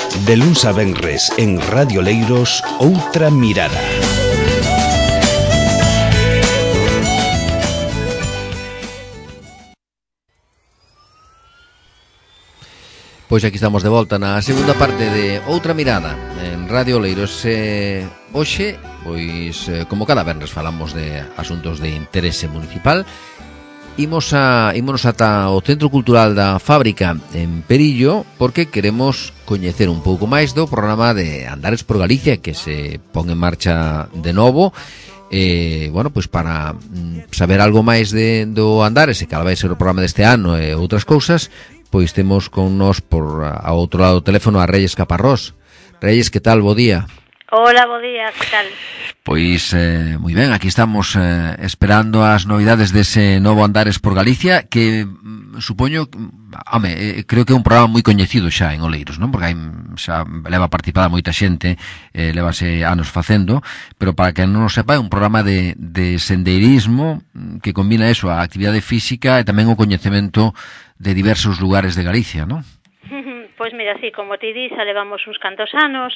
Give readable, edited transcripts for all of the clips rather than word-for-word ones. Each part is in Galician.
De luns a venres en Radio Leiros, Outra Mirada. Pois aquí estamos de volta na segunda parte de Outra Mirada en Radio Leiros. Hoxe, pois, como cada venres falamos de asuntos de interese municipal, ímonos ata o Centro Cultural da Fábrica en Perillo porque queremos coñecer un pouco máis do programa de Andares por Galicia que se pon en marcha de novo. Bueno, pois para saber algo máis do Andares e cal vai ser o programa deste ano e outras cousas, pois temos con nós por ao outro lado do teléfono a Reyes Caparrós. Reyes, que tal? Bo día. Hola, bo día, que tal? Pois, moi ben, aquí estamos esperando as novidades dese novo Andares por Galicia, que supoño, creo que é un programa moi coñecido xa en Oleiros, non? Porque xa leva participada moita xente, levase anos facendo, pero para que non o sepa, é un programa de sendeirismo que combina eso, a actividade física e tamén o coñecemento de diversos lugares de Galicia, non? Pois mira, sí, como ti dis, xa levamos uns cantos anos.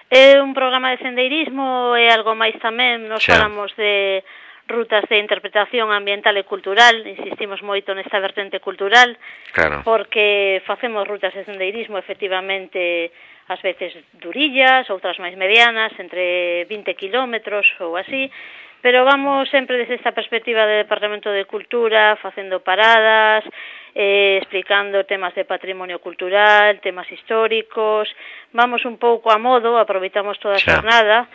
É un programa de sendeirismo e algo máis tamén. Nos falamos de rutas de interpretación ambiental e cultural. Insistimos moito nesta vertente cultural, claro, porque facemos rutas de sendeirismo efectivamente ás veces durillas, outras máis medianas, entre 20 kilómetros ou así, pero vamos sempre desde esta perspectiva de Departamento de Cultura, facendo paradas, explicando temas de patrimonio cultural, temas históricos. Vamos un pouco a modo, aproveitamos toda a xornada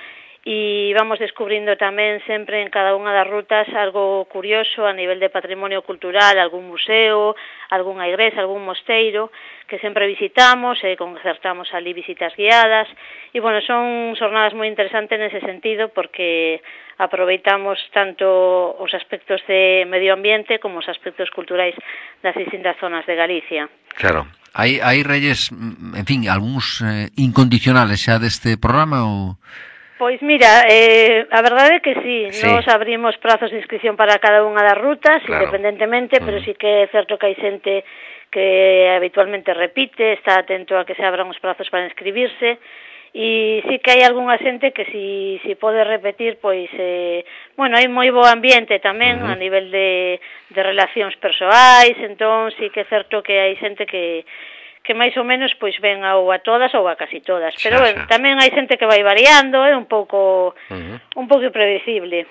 e vamos descubrindo tamén sempre en cada unha das rutas algo curioso a nivel de patrimonio cultural, algún museo, algunha igrexa, algún mosteiro que sempre visitamos e concertamos ali visitas guiadas e, bueno, son xornadas moi interesantes nese sentido porque aproveitamos tanto os aspectos de medio ambiente como os aspectos culturais das distintas zonas de Galicia. Claro. Hai Reyes, en fin, algúns incondicionales xa deste programa ou... Pois mira, a verdade é que sí, nos abrimos prazos de inscripción para cada unha das rutas, claro, independentemente, pero sí que é certo que hai xente que habitualmente repite, está atento a que se abran os prazos para inscribirse, e sí que hai algunha xente que si pode repetir, pois, bueno, hai moi bo ambiente tamén a nivel de relacións persoais, entón sí que é certo que hai xente que máis ou menos pois ven ou a todas ou a casi todas, pero bueno, tamén hai xente que vai variando, é un pouco impredecible.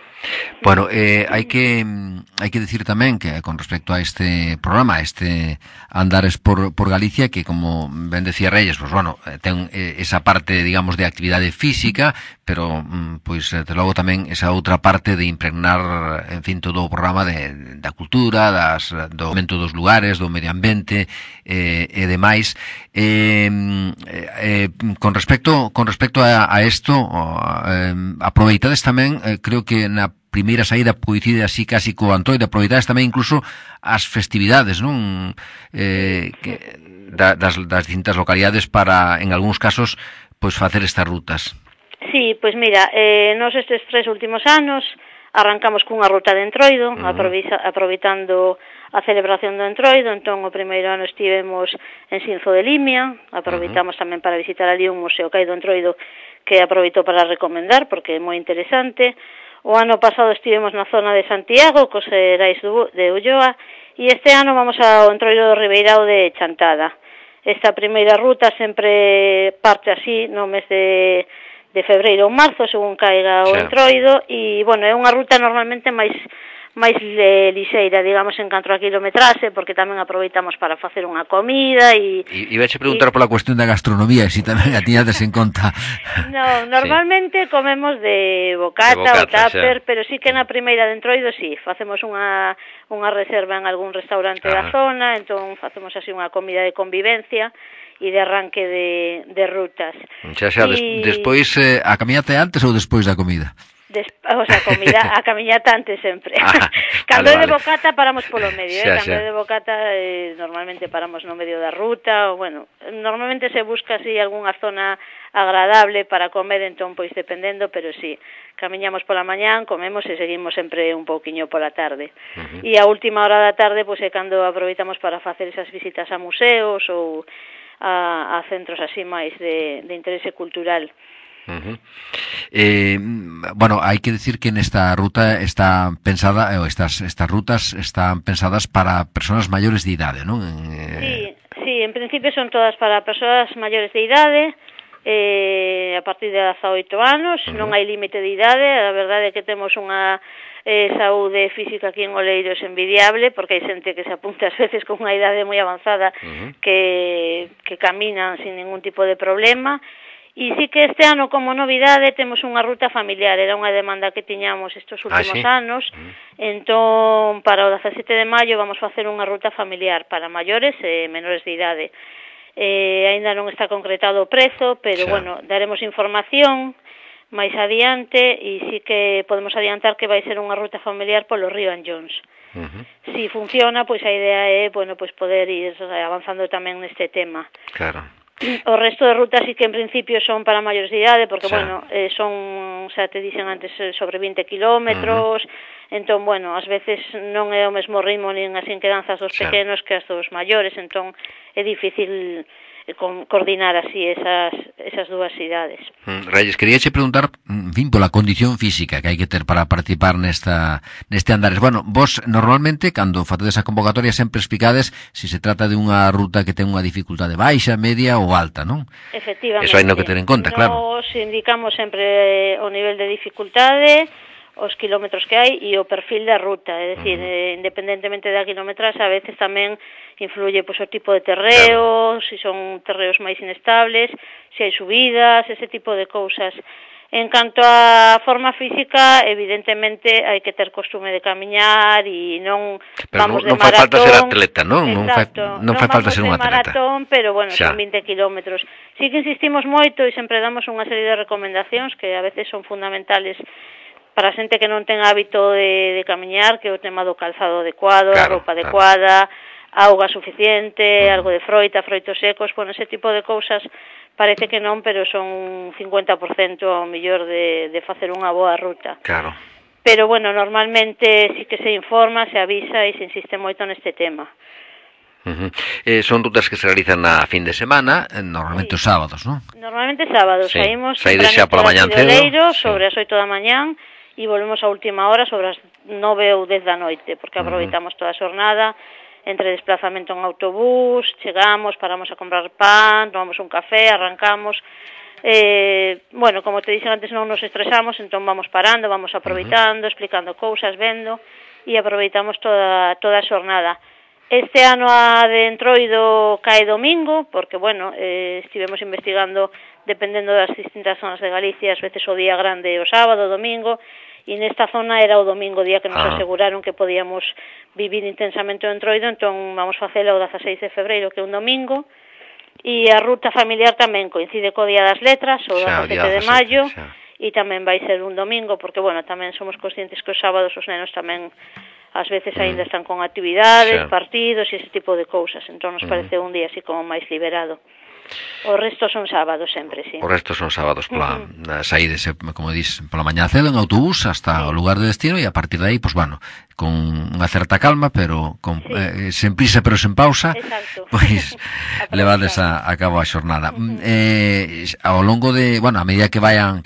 Bueno, hai que decir tamén que con respecto a este programa, este Andares por Galicia, que como ben decía Reyes, pues bueno, ten esa parte, digamos, de actividade física, pero pois de logo tamén esa outra parte de impregnar, en fin, todo o programa da cultura, do momento dos lugares, do medio ambiente e demais. Con respecto a isto, aproveitades tamén, creo que na primeira saída coincide así casi co Antoide, aproveitades tamén incluso as festividades, non? Das distintas localidades para, en algúns casos, pois facer estas rutas. Sí, pois mira, nos estes 3 últimos anos arrancamos cunha ruta de Entroido, aproveitando a celebración do Entroido. Entón, o primeiro ano estivemos en Sinzo de Limia, aproveitamos tamén para visitar ali un museo que hai do Entroido que aproveitou para recomendar, porque é moi interesante. O ano pasado estivemos na zona de Santiago, cos Herais de Ulloa, e este ano vamos ao Entroido do Ribeirao de Chantada. Esta primeira ruta sempre parte así no mes de febreiro ou marzo, según caiga o Entroido, e, bueno, é unha ruta normalmente máis lixeira, digamos, en canto a kilometraxe, porque tamén aproveitamos para facer unha comida e ibache preguntar pola cuestión da gastronomía, se tamén a tiñades en conta. No, normalmente comemos de bocata ou tupper, pero sí que na primeira de Entroido facemos unha reserva en algún restaurante da zona, entón facemos así unha comida de convivencia e de arranque de rutas. Despois, a camiñata antes ou despois da comida? A camiñata antes sempre. Cando é de bocata paramos polo medio, cando é de bocata normalmente paramos no medio da ruta, ou bueno, normalmente se busca así algunha zona agradable para comer, entón pois dependendo, pero sí, camiñamos pola mañán, comemos e seguimos sempre un pouquiño pola tarde. E a última hora da tarde pois é cando aproveitamos para facer esas visitas a museos ou a centros así máis de interese cultural. Bueno, hai que decir que nesta ruta está pensada, estas rutas están pensadas para persoas maiores de idade, non? Sí, en principio son todas para persoas maiores de idade, a partir de 18 anos, non hai límite de idade. A verdade é que temos unha saúde física aquí en Oleiros envidiable, porque hai xente que se apunta ás veces con unha idade moi avanzada que caminan sin ningún tipo de problema. E sí que este ano, como novidade, temos unha ruta familiar. Era unha demanda que tiñamos estes últimos anos. Entón, para o 17 de maio vamos facer unha ruta familiar para maiores e menores de idade. Ainda non está concretado o prezo, pero, bueno, daremos información máis adiante e sí que podemos adiantar que vai ser unha ruta familiar polo río Anllóns. Si funciona, pois a idea é, bueno, pois poder ir avanzando tamén neste tema. Claro. O resto de rutas sí que en principio son para maiores de idade, porque, bueno, son, xa te dixen antes, sobre 20 kilómetros, entón, bueno, ás veces non é o mesmo ritmo nin as inquedanzas dos pequenos que as dos maiores, entón é difícil coordinar así esas dúas idades. Reyes, queríache preguntar, en fin, pola condición física que hai que ter para participar neste andares. Bueno, vos normalmente, cando facedes a convocatoria, sempre explicades se se trata de unha ruta que ten unha dificultade baixa, media ou alta, non? Efectivamente. Eso hai no que ter en conta, claro. Nos indicamos sempre o nivel de dificultade, os kilómetros que hai e o perfil da ruta, é dicir, independentemente da kilometraxe, a veces tamén influye pois o tipo de terreo, se son terreos máis inestables, se hai subidas, ese tipo de cousas. En canto á forma física, evidentemente hai que ter costume de camiñar e non vamos de maratón. Pero non fai falta ser atleta, non? Exacto, non fai falta ser un atleta. Maratón, pero bueno, son 20 kilómetros. Sí que insistimos moito e sempre damos unha serie de recomendacións que a veces son fundamentales para a xente que non ten hábito de camiñar, que é o tema do calzado adecuado, a roupa adecuada, auga suficiente, algo de froitos secos, bueno, ese tipo de cousas parece que non, pero son 50% ao mellor de facer unha boa ruta. Claro. Pero, bueno, normalmente sí que se informa, se avisa e se insiste moito neste tema. Son rutas que se realizan a fin de semana, normalmente os sábados, non? Normalmente sábados, saímos xa pola mañán cedo, sobre as 8 da mañán e volvemos a última hora sobre as 9 ou 10 da noite, porque aproveitamos toda a xornada entre desplazamento en autobús, chegamos, paramos a comprar pan, tomamos un café, arrancamos. Bueno, como te dixen antes, non nos estresamos, entón vamos parando, vamos aproveitando, explicando cousas, vendo, e aproveitamos toda a xornada. Este ano a de Entroido cae domingo, porque, bueno, estivemos investigando, dependendo das distintas zonas de Galicia, ás veces o día grande o sábado, o domingo, e nesta zona era o domingo, día que nos aseguraron que podíamos vivir intensamente o Entroido, entón vamos facelo o 16 de febreiro, que é un domingo, e a ruta familiar tamén coincide co Día das Letras, o 17 de maio, e tamén vai ser un domingo, porque, bueno, tamén somos conscientes que os sábados os nenos tamén ás veces ainda están con actividades, partidos e ese tipo de cousas, entón nos parece un día así como máis liberado. O resto son sábados sempre, sí. O resto son sábados pola saídes, como dis, pola mañá cedo en autobús hasta o lugar de destino e a partir de aí, pois, bueno, con unha certa calma, pero sen prisa pero sen pausa, pois levades a cabo a xornada. Ao longo de, bueno, a medida que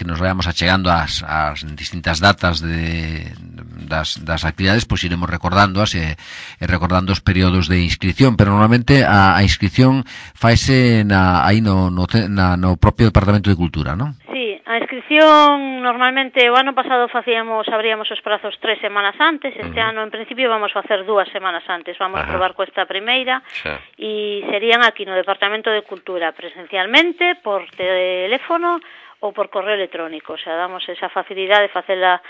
nos vayamos achegando ás distintas datas das actividades, pois iremos recordándoas e recordando os períodos de inscripción, pero normalmente a inscripción faise aí no propio Departamento de Cultura, non? Sí, a inscripción normalmente o ano pasado abríamos os prazos 3 semanas antes, este ano en principio vamos facer 2 semanas antes, vamos a probar coa primeira e serían aquí no Departamento de Cultura presencialmente, por teléfono ou por correo electrónico, o sea, damos esa facilidade de facela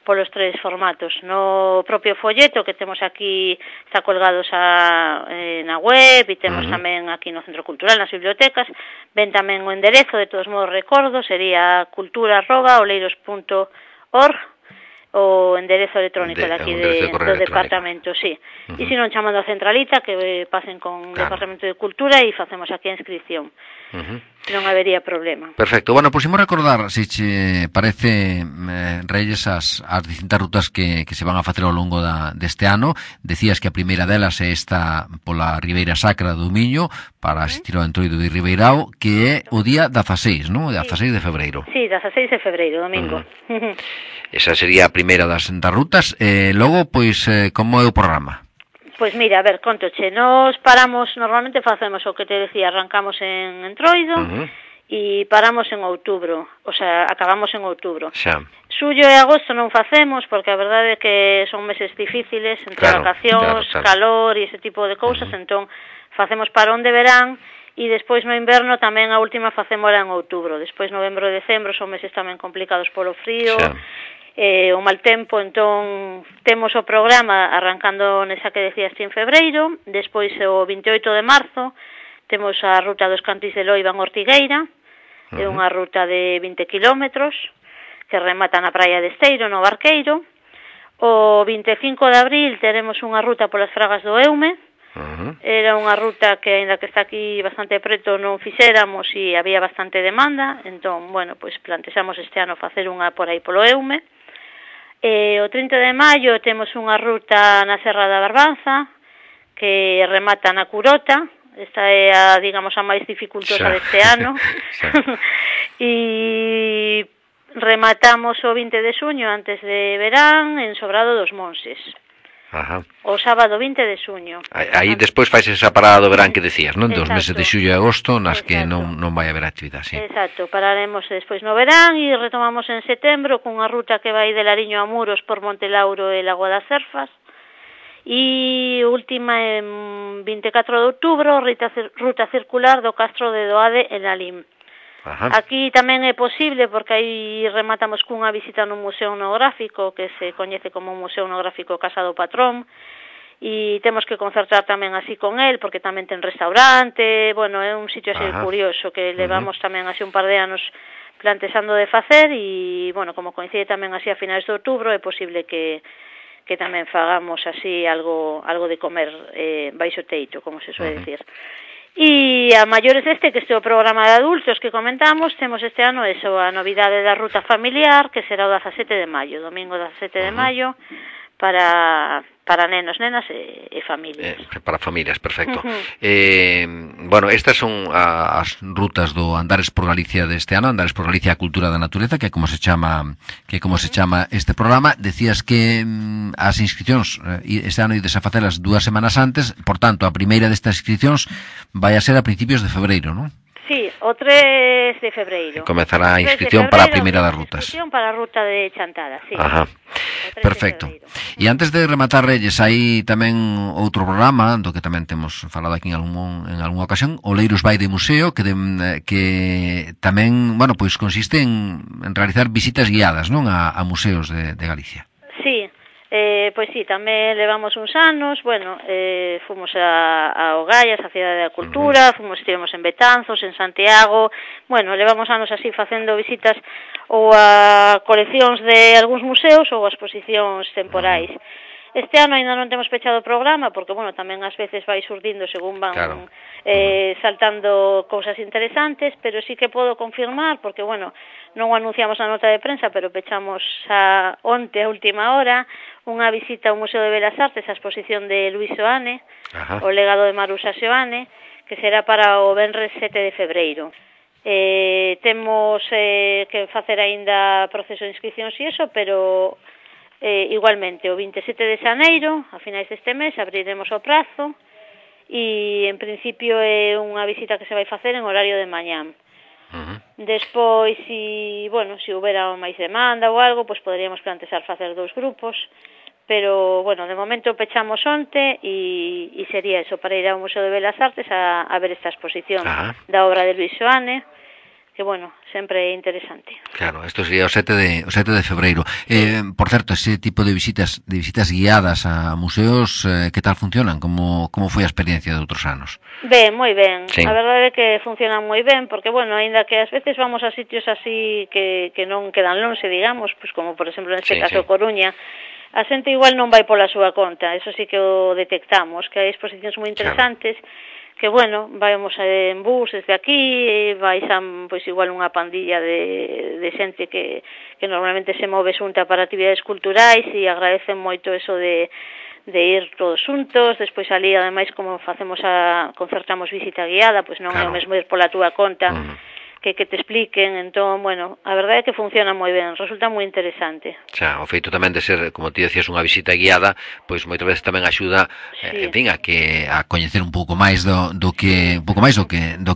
polos 3 formatos. No propio folleto que temos aquí está colgados na web e temos tamén aquí no Centro Cultural, nas bibliotecas, ven tamén o enderezo, de todos modos recordo, sería cultura@oleiros.org, o enderezo electrónico daqui do departamento, sí. E se non chamando a centralita que pasen con o Departamento de Cultura e facemos aquí a inscripción. Non habería problema. Perfecto. Bueno, pois imos recordar, se che parece, Reyes, as distintas rutas que se van a facer ao longo deste ano. Decías que a primeira delas é esta pola Ribeira Sacra do Miño para asistir ao Entroido de Ribeirao, que é o día 16, non? O 16 de febreiro. Sí, 16 de febreiro, domingo. Esa sería a primeira das rutas. Logo, pois, como é o programa? Pois mira, a ver, contoche, nos paramos, normalmente facemos o que te decía, arrancamos en Entroido e paramos en outubro, o sea, acabamos en outubro. Xa. Xullo e agosto non facemos, porque a verdade é que son meses difíciles, entre vacacións, calor e ese tipo de cousas, entón facemos parón de verán, e despois no inverno tamén a última facémola en outubro, despois novembro e decembro son meses tamén complicados polo frío, o mal tempo, entón temos o programa arrancando nesa que decías en febreiro, despois o 28 de marzo temos a ruta dos Cantís de Loiva en Ortigueira, é unha ruta de 20 kilómetros que remata na praia de Esteiro, no Barqueiro. O 25 de abril teremos unha ruta polas Fragas do Eume, era unha ruta que, aínda que está aquí bastante preto, non fixéramos e había bastante demanda, entón, bueno, pois plantexamos este ano facer unha por aí polo Eume. O 30 de maio temos unha ruta na Serra da Barbanza que remata na Curota. Esta é a, digamos, a máis dificultosa deste ano. E rematamos o 20 de xuño antes de verán en Sobrado dos Monses. O sábado 20 de xuño. Aí despois fais esa parada do verán que decías, non? Dos meses de xullo e agosto nas que non vai haber actividade, sí. Exacto, pararemos despois no verán e retomamos en setembro cunha ruta que vai de Lariño a Muros por Montelauro e Lagoa das Cerfas. E última en 24 de outubro, ruta circular do Castro de Doade en Alim. Aquí tamén é posible porque aí rematamos cunha visita no Museo Etnográfico que se coñece como Museo Etnográfico Casa do Patrón e temos que concertar tamén así con el porque tamén ten restaurante, bueno, é un sitio así curioso que levamos tamén así un par de anos plantexando de facer e, bueno, como coincide tamén así a finais de outubro é posible que tamén fagamos así algo de comer baixo teito, como se suele decir. E a maiores que este é o programa de adultos que comentamos, temos este ano eso, a novidade da ruta familiar, que será o 17 de maio, domingo 17 de maio, para nenos, nenas e familias. Para familias, perfecto. Bueno, estas son as rutas do Andares por Galicia deste ano, Andares por Galicia a Cultura da Natureza, que é como se chama este programa. Decías que as inscripcións este ano ides a facelas 2 semanas antes, por tanto, a primeira destas inscripcións vai a ser a principios de febreiro, non? Sí, o 3 de febreiro. Comezará a inscripción para a primeira das rutas. Inscripción para a ruta de Chantada, sí. Perfecto. E antes de rematar, Reyes, hai tamén outro programa do que tamén temos falado aquí en algunha ocasión, o Leiros vai de Museo, que tamén, bueno, pois consiste en realizar visitas guiadas, non, a museos de Galicia. Sí. Pois sí, tamén levamos uns anos, bueno, fomos a Ogaias, a Cidade da Cultura, estivemos en Betanzos, en Santiago, bueno, levamos anos así facendo visitas ou a coleccións de algúns museos ou a exposicións temporais. Este ano ainda non temos pechado o programa porque, bueno, tamén ás veces vai surdindo según van saltando cousas interesantes, pero sí que podo confirmar, porque, bueno, non o anunciamos na nota de prensa, pero pechamos onte a última hora unha visita ao Museo de Belas Artes, a exposición de Luis Soane, o legado de Maruxa Soane, que será para o venres 7 de febreiro. Temos que facer aínda proceso de inscripcións e iso, pero igualmente o 27 de xaneiro, a finais deste mes, abriremos o prazo e en principio é unha visita que se vai facer en horario de mañán. Despois, se houbera máis demanda ou algo, pois poderíamos plantexar facer 2 grupos, pero, bueno, de momento pechamos onte e sería eso, para ir ao Museo de Belas Artes a ver esta exposición da obra de Luis Soane, bueno, sempre é interesante. Claro, isto sería o 7 de febreiro. Por certo, ese tipo de visitas guiadas a museos, que tal funcionan? Como foi a experiencia de outros anos? Ben, moi ben. Sí. A verdade é que funcionan moi ben, porque, bueno, aínda que ás veces vamos a sitios así que non quedan lonxe, digamos, pues como, por exemplo, neste caso Coruña, a xente igual non vai pola súa conta, eso sí que o detectamos, que hai exposicións moi interesantes, que, bueno, vamos en bus desde aquí, vais a, pois, igual unha pandilla de xente que normalmente se move xunta para actividades culturais e agradecen moito eso de ir todos xuntos, despois ali, ademais, como concertamos visita guiada, pois non é o mesmo ir pola túa conta, que te expliquen, entón, bueno, a verdade é que funciona moi ben, resulta moi interesante. Xa, o feito tamén de ser, como ti decías, unha visita guiada, pois moitas veces tamén axuda, en fin, a coñecer un pouco máis do que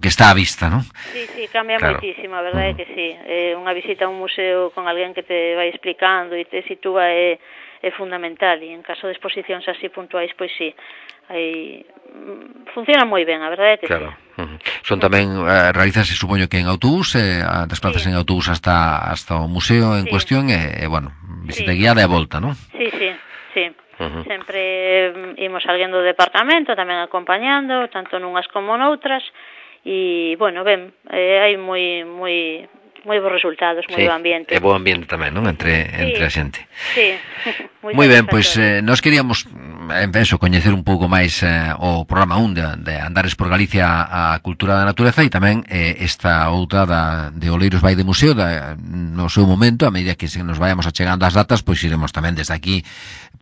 está á vista, non? Sí, cambia moitísimo, a verdade é que sí. Unha visita a un museo con alguén que te vai explicando e te sitúa é fundamental, e en caso de exposicións así puntuais, pois sí, funciona moi ben, a verdade é que claro. Sí. Son tamén, realizase, supoño que en autobús, desplazas en autobús hasta o museo en cuestión, bueno, visita guiada e volta, non? Sí. Sempre imos alguén do departamento tamén acompañando, tanto nunhas como noutras, e, bueno, ben, hai moi bons resultados, moi bo ambiente. É bo ambiente tamén, non? Entre a xente. Sí. Moi ben, pois nós queríamos coñecer un pouco máis o programa 1 de Andares por Galicia a cultura da natureza, e tamén esta outra de Oleiros vai de museo no seu momento, a medida que nos vayamos achegando as datas, pois iremos tamén desde aquí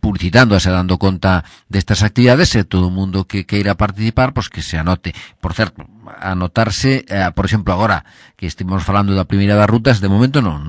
publicitando e dando conta destas actividades, e todo o mundo que queira participar, pois que se anote. Por certo, anotarse, por exemplo, agora que estivemos falando da primeira das rutas, de momento non?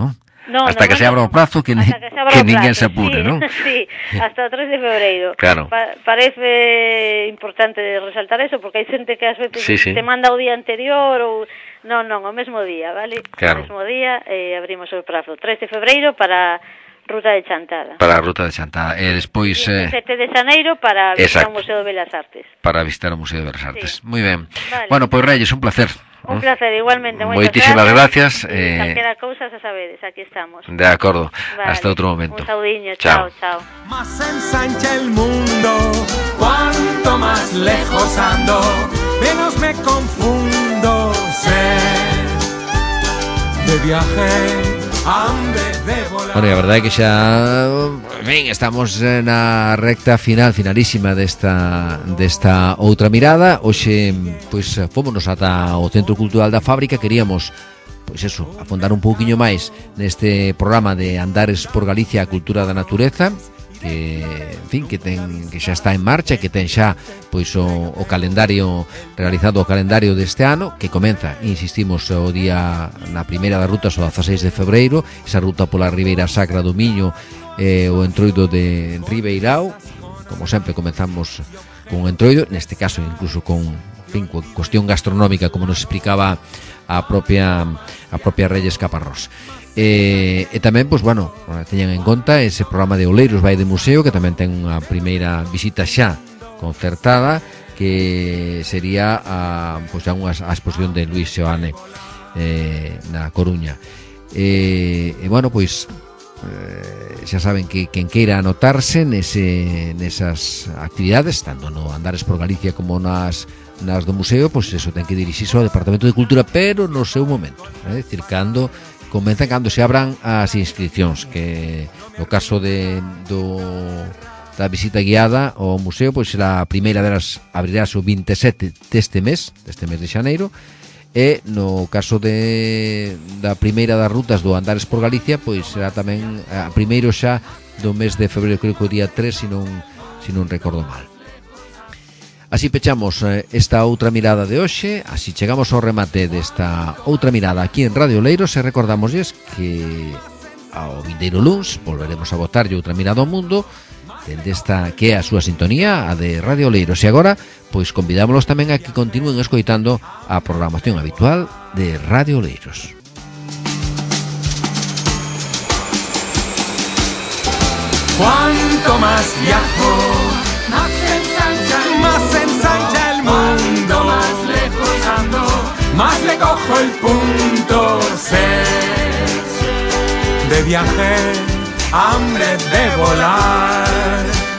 Hasta que se abra o prazo, que ninguén se apure, non? Sí, hasta o 3 de febreiro. Claro. Parece importante resaltar eso, porque hai xente que ás veces te manda o día anterior ou... Non, o mesmo día, vale? Claro. O mesmo día abrimos o prazo. 3 de febreiro para Ruta de Chantada. Para a Ruta de Chantada. E despois... 7 de xaneiro para visitar o Museo de Belas Artes. Para visitar o Museo de Belas Artes. Moi ben. Vale. Bueno, pois, Reyes, un placer. Un placer, igualmente. Moitísimas gracias. Calquera cousa, xa sabedes, aquí estamos. De acordo. Vale. Hasta outro momento. Un saudiño, chao. Más ensancha el mundo, cuanto más lejos ando, menos me confundo, sé de viaje. Bueno, a verdade é que xa estamos na recta finalísima desta outra mirada. Hoxe, pois, fómonos ata o Centro Cultural da Fábrica. Queríamos, pois eso, afondar un pouquiño máis neste programa de Andares por Galicia a cultura da natureza, que, en fin, que xa está en marcha, que ten xa, pois, o calendario realizado, o calendario deste ano, que comeza, insistimos, o día na primeira das rutas, o 16 de febreiro, esa ruta pola Ribeira Sacra do Miño, o entroido de Ribeirao. Como sempre, comenzamos con o entroido, neste caso incluso con, en fin, cuestión gastronómica, como nos explicaba a propia Reyes Caparrós. E tamén, pois, bueno, teñan en conta ese programa de Oleiros vai de museo, que tamén ten unha primeira visita xa concertada, que sería a exposición de Luis Seoane na Coruña. E bueno, pois xa saben que quen queira anotarse nesas actividades, tanto no Andares por Galicia como nas do museo, pois eso, ten que dirixirse ao Departamento de Cultura, pero no seu momento, é dicir, cando se abran as inscripcións, que no caso da visita guiada ao museo, pois a primeira delas abrirás o 27 deste mes de xaneiro, e no caso da primeira das rutas do Andares por Galicia, pois será tamén a primeiro xa do mes de febreiro, creo que o día 3, se non recordo mal. Así pechamos esta outra mirada de hoxe, así chegamos ao remate desta outra mirada aquí en Radio Oleiros, e recordamosles que ao vindeiro luns volveremos a botarlle outra mirada ao mundo dende esta que é a súa sintonía, a de Radio Oleiros. E agora, pois convidámolos tamén a que continúen escoitando a programación habitual de Radio Oleiros. Cuanto más viajo, más ensancha el mundo, más lejos ando, más le cojo el punto. de viaje, hambre de volar.